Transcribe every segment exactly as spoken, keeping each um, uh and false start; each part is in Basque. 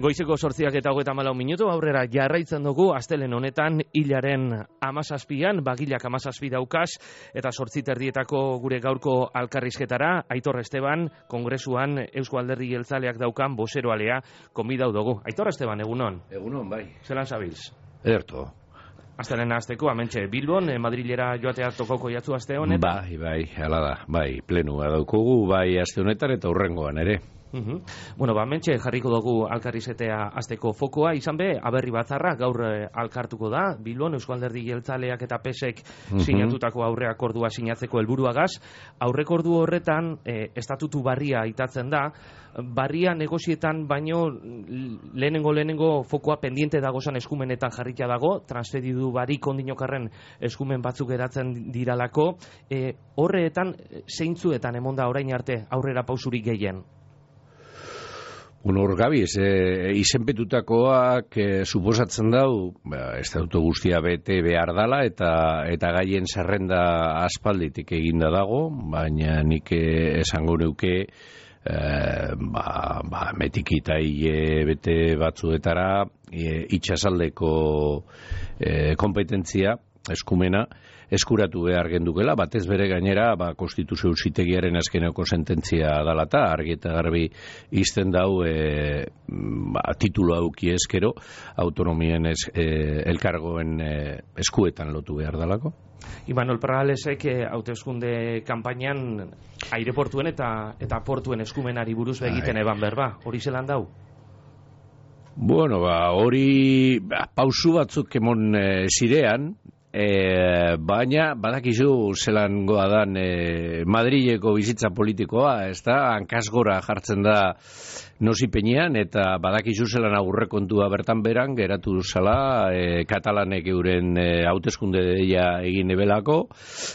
Goizeko zortziak eta hogeita hamalau minutu aurrera jarraitzen dugu astelehen honetan hilaren hamazazpian, bagilak hamazazpi daukaz, eta zortzi terdietako gure gaurko alkarrizketara, Aitor Esteban, Kongresuan Eusko Alderdi Jeltzaleak daukan bozeroalea konbidau dugu. Aitor Esteban, egunon? Egunon, bai. Zelan zabilz? Ederto. Astelehen azteko, amentxe Bilbon, Madrilera joatea tokoko jatzu aste honetan? Bai, bai, hala da, bai, plenua daukugu, bai aste honetan eta hurrengoan ere. Uhum. Bueno, ba, mentxe jarriko dugu alkarrizetea azteko fokoa, izan be, aberri batzarra gaur eh, alkartuko da, Bilbon, Eusko Alderdi Jeltzaleak eta P S E K uhum. sinatutako aurreakordua sinatzeko helburuagaz. Aurrekordu horretan, eh, estatutu barria itatzen da, barria negozietan baino lehenengo lehenengo fokoa pendiente dagozan eskumenetan jarrikia dago, transferidu barik ondinokarren eskumen batzuk eratzen diralako, eh, horreetan zeintzuetan emonda orain arte aurrera pausurik gehien? Bueno, hor gabiz, e, izenpetutakoak e, suposatzen dau, ba, estatutu guztia bete behar dala eta eta gaien zerrenda aspalditik eginda dago, baina nik esango neuke e, ba, ba, metikita hile bete batzuetara e, itxasaldeko e, kompetentzia, eskumena, eskuratu behar gendukela, batez bere gainera, ba, konstituzio auzitegiaren azkeneko sententzia dalata, argi eta garbi izten dau e, ba, titulu auki eskero, autonomien es, e, elkargoen e, eskuetan lotu behar dalako. Imanol Parralesek hauteskunde kanpainan aireportuen eta eta portuen eskumenari buruz begiten eban berba, hori zelan dau? Bueno, ba, hori ba, pausu batzuk emon e, zirean, E, baina badakizu zelan goa dan e, Madrileko bizitza politikoa, ez da, hankasgora jartzen da nozipenean, eta badakizu zelan aurrekontua bertan beran geratu zala e, katalanek euren e, hauteskunde deia egin ebelako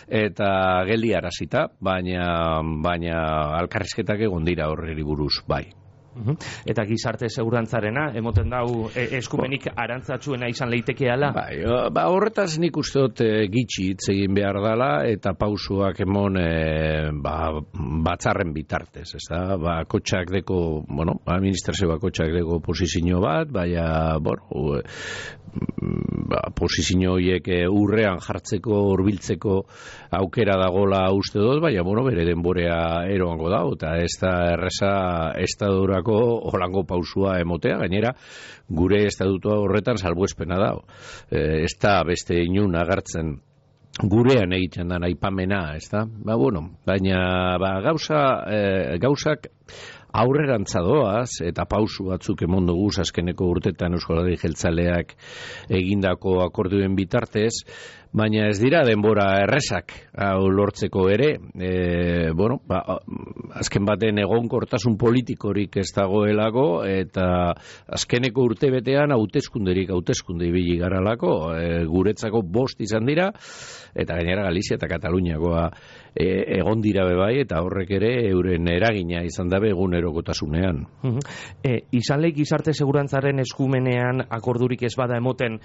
eta geldi arazita, baina, baina alkarrizketak egon dira horreri buruz, bai. Eta gizarte segurantzarena, emoten dau e, eskumenik arantzatsuena izan leitekeala? Bai, ba, horretaz nik uste dut e, gitxi hitz egin behar dela eta pausuak emon e, ba, batzarren bitartez, ez da? Ba, kotxak deko, bueno, administrazio bakotxak deko posizio bat, baina, bueno, ba, posizio horiek urrean jartzeko, hurbiltzeko aukera dagola uste dut, baina, bueno, bere denborea eroango da, eta ez da erreza estadura holango pausua emotea, gainera gure estatutua horretan salbuespena da. E, ez da beste inun agertzen gurean egiten da aipamena, ez da? Ba, bueno, baina ba, gauza, e, gauzak aurrerantza doaz eta pausu batzuk emon dugu azkeneko urtetan Eusko Alderdi Jeltzaleak egindako akordioen bitartez, baina ez dira denbora errezak hau lortzeko ere, e, bueno, ba, azken baten egonkortasun politikorik ez dagoelako eta azkeneko urtebetean hauteskunderik hauteskunde ibili garalako, e, guretzako bost izan dira eta gainera Galizia eta Kataluniakoa e, egon dira bebai eta horrek ere euren eragina izan dabe egunerokotasunean. E, izan leik gizarte segurantzaren eskumenean akordurik ez bada emoten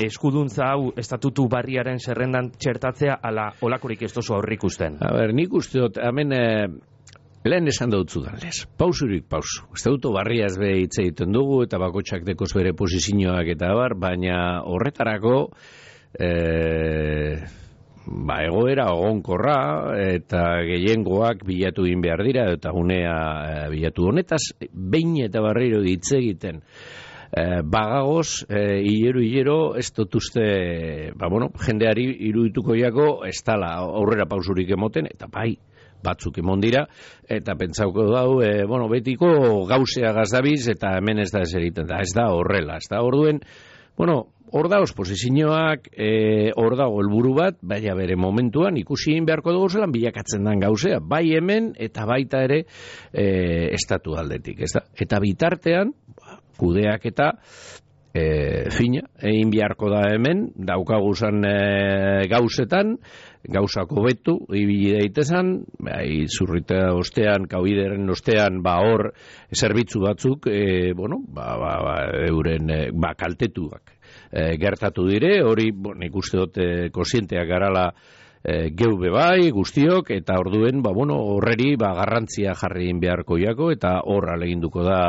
eskuduntza hau estatutu barriaren zerrendan txertatzea ala olakorik ez dozu aurrik usten? A ber, nik uste dut, hemen e, lehen esan dautzu danlez, pausurik pausu. Estatutu barria ez be hitz egiten dugu eta bakotxak dekoz bere posizioak eta bar, baina horretarako e, ba, egoera ogonkorra eta gehiengoak bilatu egin behar dira eta unea e, bilatu honetaz, behin eta barriro hitz egiten Eh, bagagoz, eh, hilero, hilero, ez dut uste, ba, bueno, jendeari irudituko jako, ez dala aurrera pausurik emoten, eta bai, batzuk emon dira, eta pentsauko dau, e, bueno, betiko gauzea gazdabiz, eta hemen ez da ez egiten da, ez da horrela, ez da orduen, bueno, hor dauz posizioak, e, hor dago helburu bat, baina bere momentuan ikusi egin beharko dugu zelan bilakatzen den gauzea, bai hemen, eta baita ere e, estatu aldetik, ez da, eta bitartean, kudeak eta e, fina, egin beharko da hemen, daukaguzan e, gauzetan, gauzako betu, ibili daitezan, bai, zurrita ostean, kaubideren ostean, ba hor, zerbitzu batzuk, e, bueno, ba, ba, ba, euren, e, ba, kaltetuak e, gertatu dire, hori, bon, ikuste dut, e, konsienteak garala e, geube bai, guztiok, eta orduen, ba, bueno, horreri, ba, garrantzia jarri beharko jako, eta horra leginduko da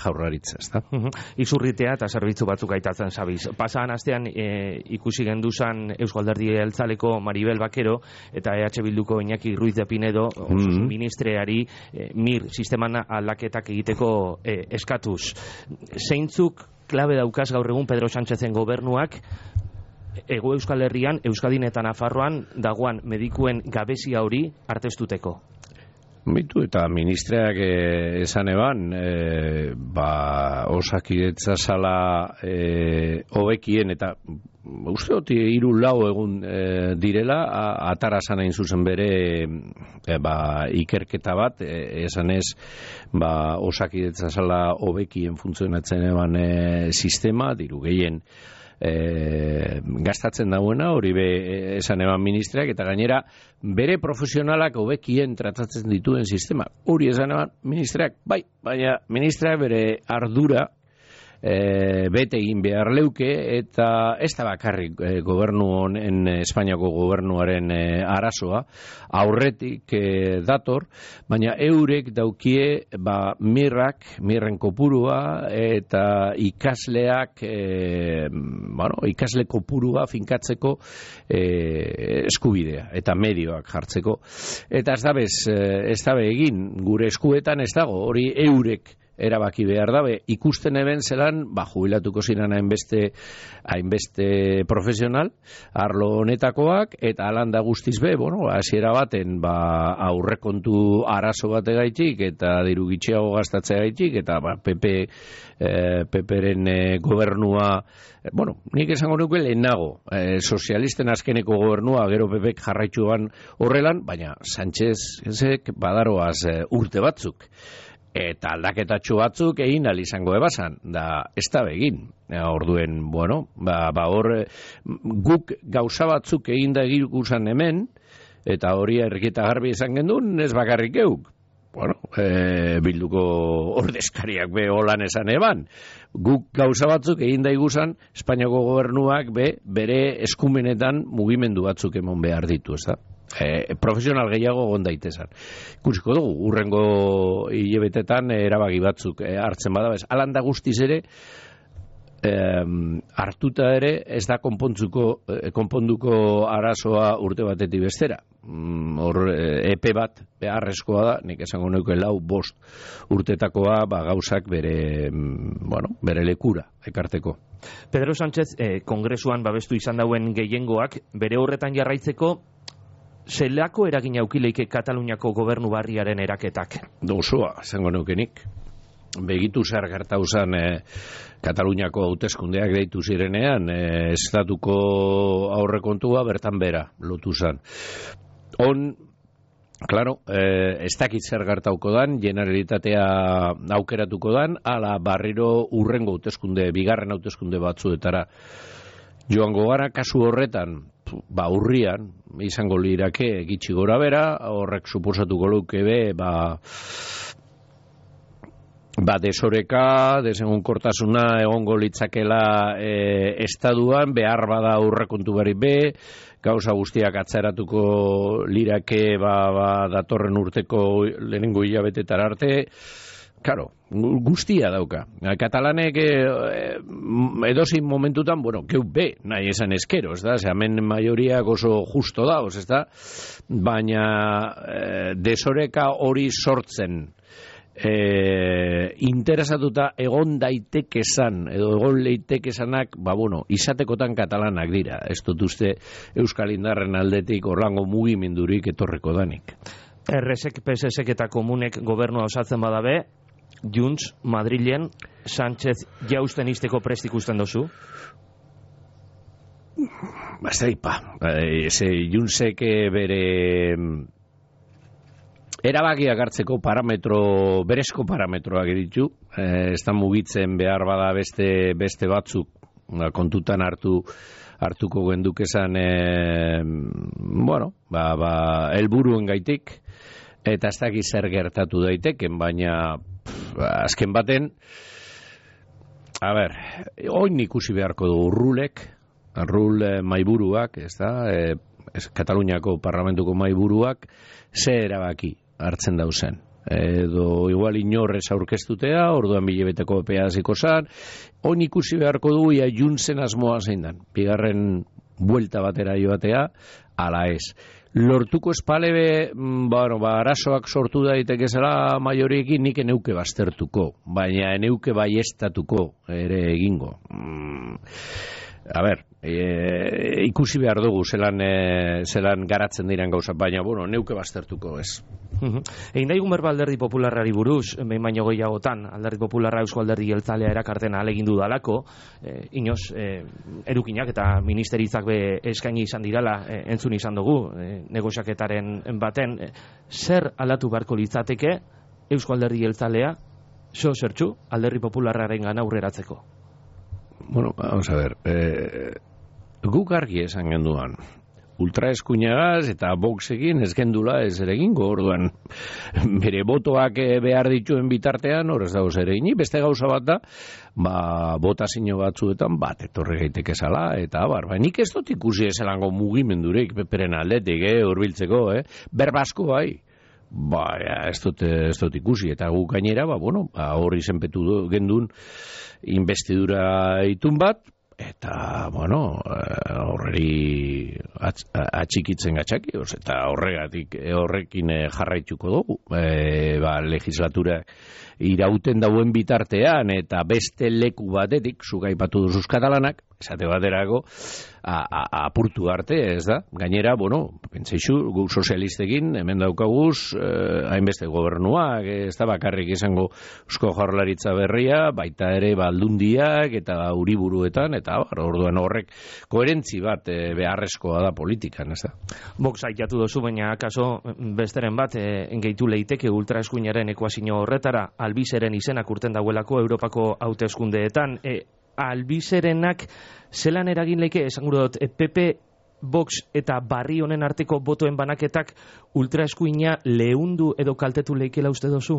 Jaurlaritza, ezta? Izurritea eta zerbitzu batzuk aitatzen zabiz. Pasadan astean e, ikusi genduzan Eusko Alderdi Jeltzaleko Maribel Bakero eta E H Bilduko Iñaki Ruiz de Pinedo, osasun ministreari e, mir sisteman aldaketak egiteko e, eskatuz. Zeintzuk klabe daukaz gaur egun Pedro Sánchezen gobernuak Ego Euskal Herrian, Euskadin eta Nafarroan dagoan medikuen gabezia hori artestuteko? Bitu, eta ministreak eh, esan eban, eh, ba, Osakidetza sala eh, hobekien, eta uste hoti hiru lau egun eh, direla, a, atara zanain zuzen bere eh, ba, ikerketa bat, eh, esan ez, ba, Osakidetza sala hobekien funtzionatzen eban eh, sistema, diru gehien, E, gastatzen dauena, hori be esan eban ministreak, eta gainera bere profesionalak hobekien tratatzen dituen sistema, hori esan eban ministreak, bai, baina ministreak bere ardura e, bete egin behar leuke, eta ez da bakarrik e, gobernu honen, Espainiako gobernuaren e, arazoa, aurretik e, dator, baina eurek daukie ba, mirrak, mirren kopurua, eta ikasleak, e, bueno, ikasle kopurua finkatzeko e, eskubidea, eta medioak jartzeko. Eta ez da bez, ez da be egin, gure eskuetan ez dago, hori eurek erabaki behar dabe, ikusten eben zelan, ba, jubilatuko ziren hainbeste, hainbeste profesional, arlo honetakoak, eta alanda guztiz be, bueno, hasiera baten, ba, aurrekontu arazo bate gaitik, eta diru gitxiago gastatzea gaitik, eta ba, P P, eh, P-ren eh, gobernua, eh, bueno, nik esango nuke lehenago, eh, sozialisten azkeneko gobernua, gero P Pek jarraitzuan horrelan, baina Sánchez, ezek, badaroaz eh, urte batzuk, eta aldaketatxo batzuk egin ahal izango ebasan, da ez da begin. Orduen, bueno, ba, ba hor, guk gauza batzuk egin da egin hemen, eta hori erriketa garbi izan gendun, ez bakarrik geuk. Bueno, e, bilduko ordezkariak be holan esan eban. Guk gauza batzuk egin da igusan, Espainiako gobernuak be, bere eskumenetan mugimendu batzuk emon behar ditu, ez da? E, profesional gehiago egon daitezan. Ikusiko dugu, urrengo hilebetetan erabaki batzuk e, hartzen badabez. Alanda guztiz ere, e, hartuta ere ez da konpontzuko, e, konponduko arazoa urte batetik bestera. Hor, e, epe bat beharrezkoa da, nik esango neuke lau bost urtetakoa ba, gauzak bere, bueno, bere lekura ekarteko. Pedro Sánchez, eh, kongresuan babestu izan dauen gehiengoak, bere horretan jarraitzeko, zelako eragina aukileike Kataluniako gobernu barriaren eraketak? Dozua, esango neukenik. Begitu zer gertauzan e, Kataluniako hauteskundeak deitu zirenean, e, estatuko aurrekontua bertan bera lotu zan. On, claro, eh, ez dakit zer gertauko dan, Generalitatea aukeratuko dan, ala barriro urrengo hauteskunde, bigarren hauteskunde batzuetara joango gara, kasu horretan, ba urrian, izango lirake gitxi gora bera, horrek suposatuko luke be, ba, ba desoreka, desegonkortasuna egongo litzakela e, estaduan, behar bada aurrekontu bari be, gauza guztiak atzeratuko lirake ba, ba, datorren urteko lehenengo hilabetetara arte, claro, guztia dauka. Katalanek eh, edozin momentutan, bueno, geu be, nahi esan eskero, ez da? Ze hemen maioriak oso justo dauz, ez da? Baina eh, desoreka hori sortzen eh, interesatuta egon daitekezan, edo egon leitekezanak, ba bueno, izatekotan katalanak dira. Ez dut uste Euskal Indarren aldetik orlango mugimendurik etorreko danik. Erresek, P S Sek eta komunek gobernua osatzen badabe, Junts, Madrilen, Sánchez jausten izteko prest ikusten dozu? Bazteipa, eze Juntsek bere erabakiak hartzeko parametro, berezko parametroak ditu, ez da mugitzen behar bada beste, beste batzuk kontutan hartu hartuko gendukezan e, bueno, ba, ba, helburuen gaitik, eta ez dakiz zer gertatu daiteken, baina pff, azken baten, a ber, oin ikusi beharko du Urrulek, Urrul e, maiburuak, ez da, e, ez, Kataluniako parlamentuko mahaiburuak ze erabaki hartzen dauzen. Edo igual inorrez aurkeztutea, orduan bilebeteko epea hasiko zan, on ikusi beharko du ia Juntzen asmoa zein dan, bigarren buelta batera joatea, ala ez. Lortuko espalebe, bueno, ba, arazoak sortu daiteke zela maioriekin nik eneuke baztertuko, baina eneuke baiestatuko ere egingo. Mm. A ber, e, ikusi behar dugu zelan, e, zelan garatzen diren gauza, baina, bueno, neuke baztertuko ez. Egin daigun berba Alderdi Popularrari buruz, behin baino gehiagotan, Alderdi Popularra Eusko Alderdi Jeltzalea erakartena alegindu dalako, e, inoz, e, erukinak eta ministeritzak be eskaini izan dirala, e, entzun izan dugu, e, negoziaketaren baten, e, zer aldatu beharko litzateke Eusko Alderdi Jeltzalea, so zertxu, Alderdi Popularraren gana aurreratzeko? Bueno, vamos a ver, eh, guk argi esan genduan, ultraeskuinagaz eta Voxekin ez gendula ez ere egingo, orduan bere botoak behar dituen bitartean, hor ez dago zer egin, beste gauza bat da, ba, botazio batzuetan bat etorri gaiteke zala, eta bar, ba, nik ez dut ikusi ezelango mugimendurek peperen aldetik, eh, urbiltzeko, eh, berbasko bai, ba, ja, ez dut, ez dut ikusi, eta guk gainera, ba, bueno, ba, horri zenpetu gendun investidura itun bat, eta, bueno, horreri atxikitzen gatxaki, eta horregatik horrekin jarraituko dugu. E, ba, legislatura irauten dauen bitartean, eta beste leku batetik, zugaipatu duzuz katalanak, esate baterako, apurtu arte, ez da? Gainera, bueno, pentsaizu, gu sozialistekin, hemen daukaguz, eh, hainbeste gobernuak, ez da bakarrik izango Eusko Jaurlaritza berria, baita ere baldundiak, eta uriburuetan, eta bar, orduan horrek koherentzi bat eh, beharrezkoa da politikan, ez da? Vox aitatu dozu, baina akaso besteren bat, eh, engeitu leiteke ultraeskuinaren ekuazio horretara, albizeren izenak urten dauelako Europako hauteskundeetan, eh, albizerenak zelan eragin leike, esan gure dut, P P, Vox eta barri honen arteko botoen banaketak ultraeskuina leundu edo kaltetu leikela uste dozu?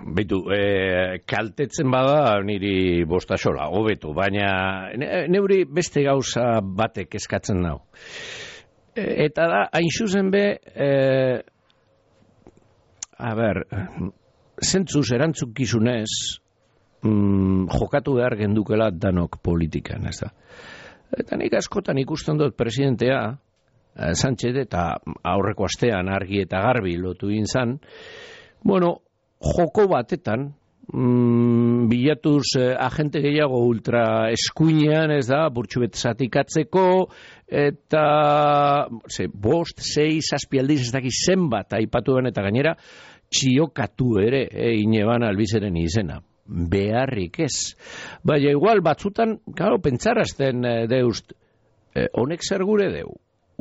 Beitu, e, kaltetzen bada niri bostasola, hobetu, baina neuri beste gauza batek eskatzen nau. E, eta da, hain zuzen be, e, a ber, zentzuz erantzukizunez mm, jokatu behar gendukela danok politikan, ez da. Eta nik askotan ikusten dut presidentea, eh, Sánchez, eta aurreko astean argi eta garbi lotu inzan, bueno, joko batetan, mm, bilatuz eh, agente gehiago ultra eskuinean, ez da, burtsubet zatikatzeko, eta ze, bost, sei, zazpi aldiz, ez daki zenbat aipatu ben, eta gainera, txiokatu ere, e, ineban albizeren izena. Beharrik ez. Baina igual batzutan, claro, pentsarazten e, deust, e, honek zer gure deu.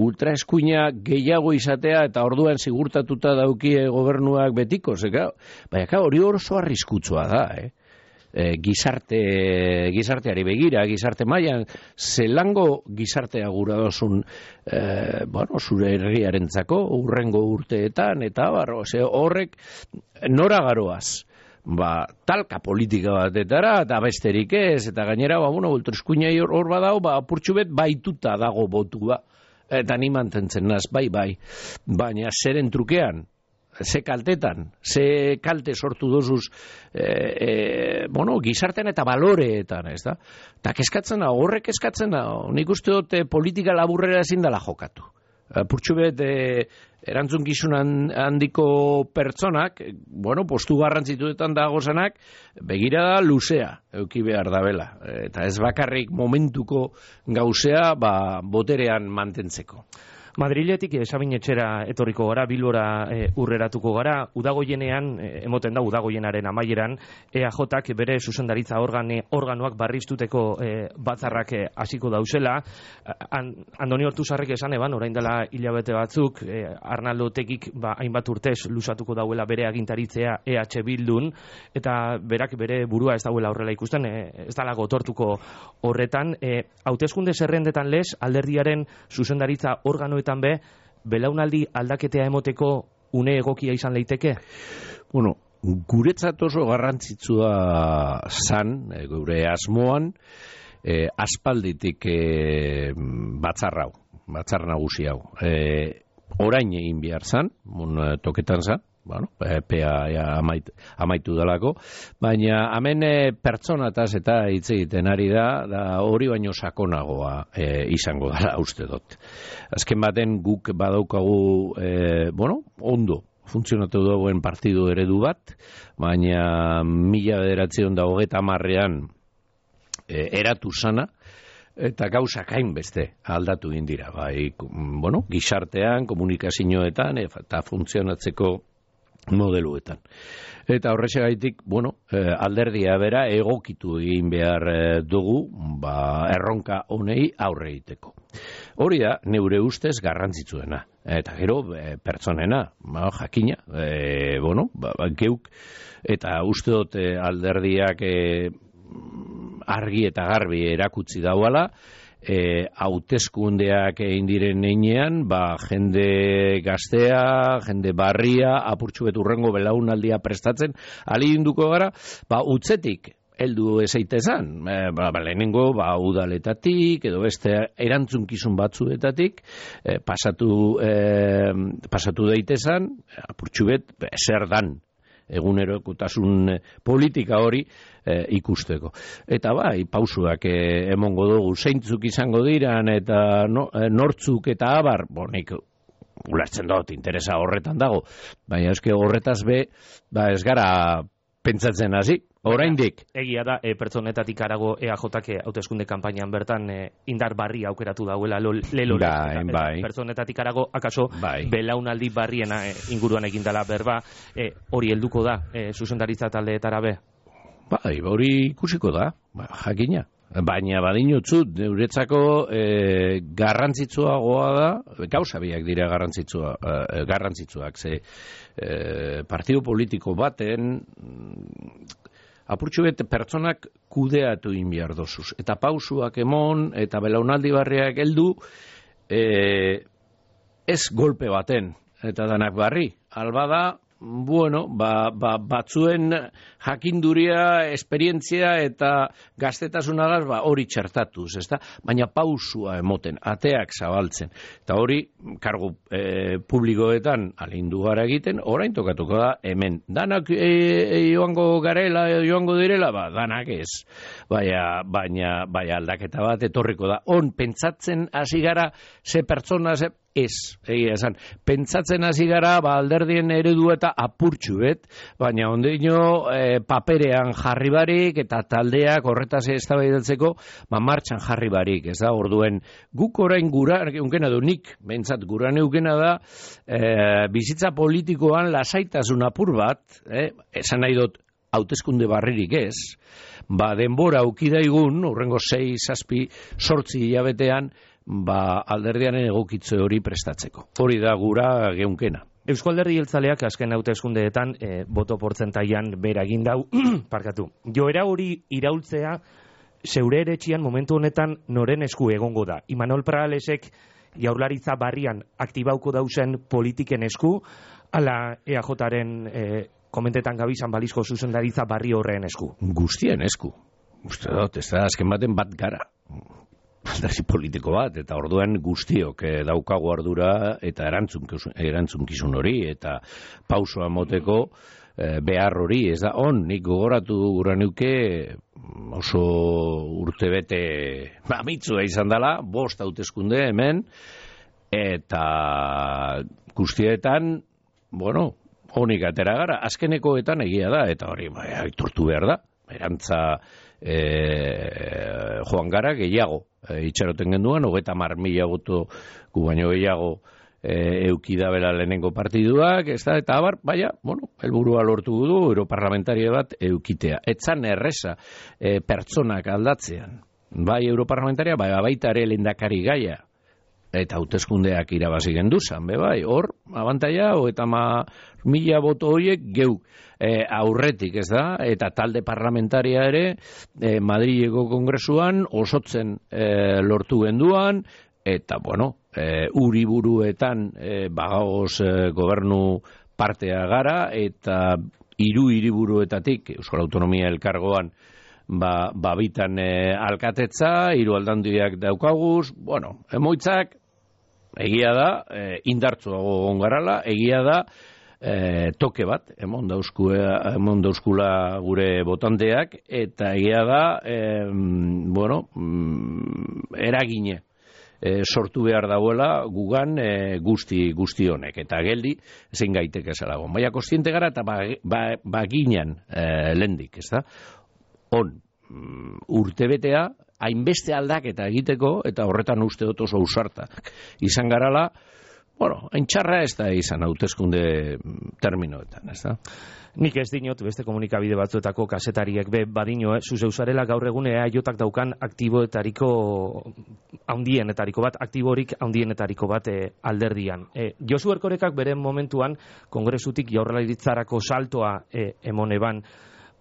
Ultraeskuina gehiago izatea eta orduan sigurtatuta daukie gobernuak betiko, ze, claro. Baina, hori oso arriskutsua da, eh? E, gizarte, gizarteari begira, gizarte mailan, zelango gizartea gura dozun, e, bueno, zure herriarentzako, urrengo urteetan, eta barro, ze horrek nora garoaz, ba, talka politika batetara, eta besterik ez, eta gainera, ba, bueno, ultraeskuinai hor, hor badau, ba, apurtxubet baituta dago botua, eta ni mantentzen naz, bai, bai, baina zeren trukean, ze kaltetan, ze kalte sortu dozuz e, e, bueno, gizartean eta baloreetan, ez da? Eta keskatzen da, horrek keskatzen da, nik uste dut politika laburrera ezin dela jokatu. Purtsubet e, erantzunkizun handiko pertsonak, bueno, postu garrantzituetan dagozanak, begira da luzea, euki behar da bela. Eta ez bakarrik momentuko gauzea, ba, boterean mantentzeko. Madriletik Sabinetxera etorriko gara, Bilbora e, urreratuko gara, udagoienean, e, emoten da udagoienaren amaieran, E A Jak bere zuzendaritza organe, organoak barriztuteko e, batzarrak hasiko e, dauzela. An, Andoni Hortuzarrek esan eban, orain dela hilabete batzuk, e, Arnaldo Otegik ba, hainbat urtez lusatuko dauela bere agintaritzea E H Bildun, eta berak bere burua ez dauela horrela ikusten, e, ez dala gotortuko horretan. E, hauteskunde zerrendetan lez, alderdiaren zuzendaritza organo be, belaunaldi aldaketea emoteko une egokia izan leiteke? Bueno, guretzat oso garrantzitsua zan, gure asmoan, e, aspalditik e, batzar hau, batzar nagusi hau. E, orain egin behar zan, mun toketan zan, bueno, epea ja, amait, amaitu dalako, baina hemen e, pertsonataz eta hitz egiten ari da, da hori baino sakonagoa e, izango dela uste dut. Azken baten guk badaukagu, e, bueno, ondo, funtzionatu dagoen partidu eredu bat, baina mila bederatziehun eta hogeita hamarrean e, eratu sana, eta gauzak hainbeste aldatu egin dira, bai, bueno, gizartean, komunikazioetan, eta funtzionatzeko modeluetan. Eta horrexegaitik, bueno, eh, alderdia bera egokitu egin behar eh, dugu, ba, erronka honei aurre egiteko. Hori da, neure ustez garrantzitsuena. Eta gero, eh, pertsonena, ba, jakina, eh, bueno, ba, geuk, eta uste dut eh, alderdiak eh, argi eta garbi erakutsi dauala, E, hauteskundeak egin diren einean, ba, jende gaztea, jende barria, apurtxu beturrengo belaunaldia prestatzen, aliginduko gara, ba, utzetik, heldu ezeitezan, e, ba, ba, lehenengo, ba, udaletatik, edo beste erantzunkizun batzuetatik, e, pasatu, e, pasatu daitezan, apurtxu bet, zer dan, egunerokotasun politika hori e, ikusteko. Eta bai, pausuak e, emongo dugu, zeintzuk izango diran, eta no, e, nortzuk eta abar, bonik, ulertzen dut, interesa horretan dago, baina eske horretaz be, ba ez gara pentsatzen hasi, oraindik. Egia da, e, pertsonetatik arago E A Jk hauteskunde kanpainan bertan e, indar barri aukeratu dauela lelo bai, bai. Pertsonetatik arago, akaso bai. Belaunaldi barriena e, inguruan egindala berba, e, hori helduko da, e, zuzendaritza taldeetara be? Bai, hori ikusiko da, ba, jakina. Baina badinutzu, neuretzako e, garrantzitsuagoa da, gauza biak dira garrantzitsua, e, garrantzitsuak, ze e, partido politiko baten apurtxo bete pertsonak kudeatu inbiar dozuz. Eta pausuak emon, eta belaunaldi barriak heldu, e, ez golpe baten, eta danak barri. Alba da, bueno, ba, ba, batzuen jakinduria, esperientzia eta gaztetasunagaz ba, hori txertatuz, ezta? Baina pausua emoten, ateak zabaltzen. Eta hori, kargu e, publikoetan alindu gara egiten, orain tokatuko da hemen. Danak e, e, joango garela, joango direla, ba, danak ez. Baina, baina, baina aldaketa bat etorriko da. On, pentsatzen hasi gara, ze pertsona, ze ez, egia esan. Pentsatzen hasi gara, ba, alderdien eredu eta apurtxu bet, baina ondeino e, paperean jarri barik eta taldeak horretaz eztabaidatzeko ba, martxan jarri barik, ez da, orduen guk orain gura, eukena du nik, bentsat gura neukena da, e, bizitza politikoan lasaitasun apur bat, eh, esan nahi dut, hauteskunde barririk ez, ba, denbora aukidaigun, urrengo sei, zazpi, sortzi hilabetean, ba, alderdiaren egokitze hori prestatzeko. Hori da gura geunkena. Eusko Alderdi Jeltzaleak azken hauteskundeetan e, boto portzentaian bera egin dau, parkatu. Joera hori iraultzea zeure eretxian momentu honetan noren esku egongo da. Imanol Pralesek jaurlaritza barrian aktibauko dauzen politiken esku, ala E A Jaren e, komentetan gabizan balizko zuzendaritza barri horren esku. Guztien esku. Uste dut, ez da azken baten bat gara. Alderdi politiko bat, eta orduan guztiok eh, daukagu ardura eta erantzunkizun, erantzunkizun hori, eta pausoa moteko eh, behar hori, ez da, on, nik gogoratu gura neuke oso urtebete mamitzua izan dela, bost hauteskunde hemen, eta guztietan, bueno, honik atera gara, azkenekoetan egia da, eta hori, bai, aitortu behar da, erantza e, joan gara gehiago, e, itxaroten genduan, hogeita hamar mila boto gu baino gehiago e, eukidabela lehenengo partiduak, ez da, eta abar, baina, bueno, helburua lortu du, europarlamentaria bat eukitea. Etzan erreza e, pertsonak aldatzean, bai europarlamentaria, bai baita ere lehendakari gaia, eta hauteskundeak irabazi genduzan, be bai, hor, abantaia, eta ma mila boto horiek geu e, aurretik, ez da, eta talde parlamentaria ere, e, Madrileko kongresuan osotzen e, lortu genduan, eta, bueno, e, uriburuetan e, bagagoz e, gobernu partea gara, eta hiru hiriburuetatik Euskal Autonomia Elkargoan ba, babitan e, alkatetza, hiru aldandiak daukaguz, bueno, emoitzak, egia da, e, indartzuago ongarala, egia da, e, toke bat, emon dauzkula, emon dauzkula gure botandeak, eta egia da, e, bueno, eragine, e, sortu behar dauela gugan e, guzti, guzti honek, eta geldi, zein gaiteke zelago. Baina kostiente gara, eta baginan ba, e, lendik, ez da? On, urtebetea, hainbeste aldaketa egiteko, eta horretan uste dut oso ausartak izan garala, bueno, haintxarra ez da izan hauteskunde terminoetan, ez da? Nik ez dinot, beste komunikabide batzuetako kasetariek be badino, eh? Zuzeuzarela gaur egune aiotak daukan aktiboetariko haundienetariko bat, aktiborik haundienetariko bat eh, alderdian. Eh, Josu Erkorekak beren momentuan kongresutik jaurlaritzarako saltoa eh, emon eban.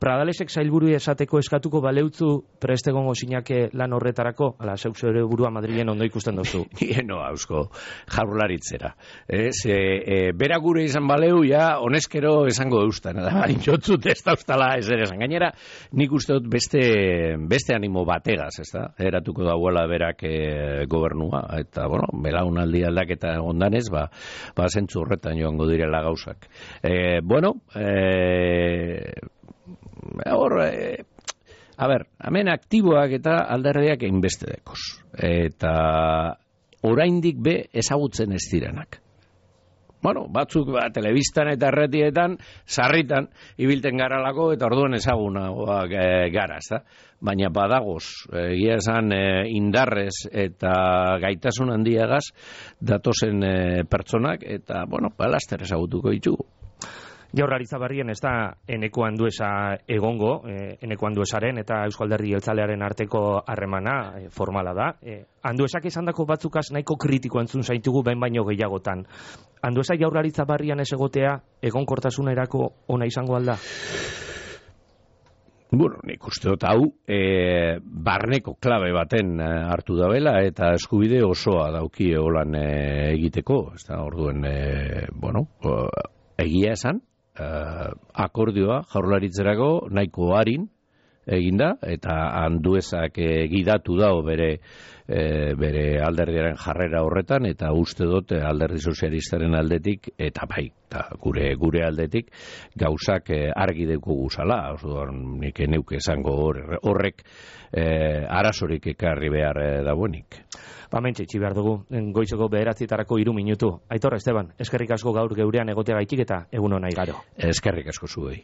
Pradalesek sailburu esateko eskatuko baleutzu prestegongo sinake lan horretarako, ala zeuk zure burua Madrilen ondo ikusten dozu. Hieno, hausko, jaurlaritzera. Ez, e, e, bera gure izan baleu, ja, honezkero esango eustan, da, bain jotzut ez da ustala ez ere esan. Gainera, nik uste dut beste, beste animo bategaz, ez da, eratuko dauela berak e, gobernua, eta, bueno, belaunaldi aldaketa ondanez, ba, ba zentzu horretan joango direla gauzak. E, bueno, e, hor, e, a ber, hemen aktiboak eta alderdiak einbeste dekoz. Eta oraindik be ezagutzen ez direnak. Bueno, batzuk ba, telebistan eta erretietan, sarritan, ibilten garalako eta orduan ezagunagoak e, gara, ez da? Baina badagoz, egia esan e, indarrez eta gaitasun handiagaz datozen e, pertsonak, eta, bueno, balaster ezagutuko ditugu. Jaurlaritza barrien ez da eneko anduesa egongo, eh, eneko anduesaren eta Eusko Alderdi Jeltzalearen arteko harremana eh, formala da. Eh, anduesak esandako batzukaz nahiko kritiko entzun zaitugu behin baino gehiagotan. Anduesa jaurlaritza barrian ez egotea egonkortasunerako ona izango alda? Bueno, nik uste dut hau e, barneko klabe baten e, hartu dabela eta eskubide osoa dauki holan e, egiteko. Ez da, orduen, e, bueno, egia esan, Uh, akordioa jaurlaritzerako nahiko harin eginda eta anduezak e, gidatu dao bere e, bere alderdiaren jarrera horretan eta uste dut alderdi sozialistaren aldetik eta bai eta gure gure aldetik gauzak e, argi deuko guzala, nik neuke esango horrek e, arazorik ekarri behar e, dagoenik. Ba, mentxe, itxi behar dugu, goizeko bederatzitarako hiru minutu. Aitor, Esteban, eskerrik asko gaur geurean egoteagaitik eta egun hona igaro. Eskerrik asko zuei.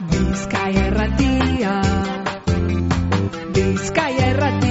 Bizkaia Erratia, Bizkaia Erratia.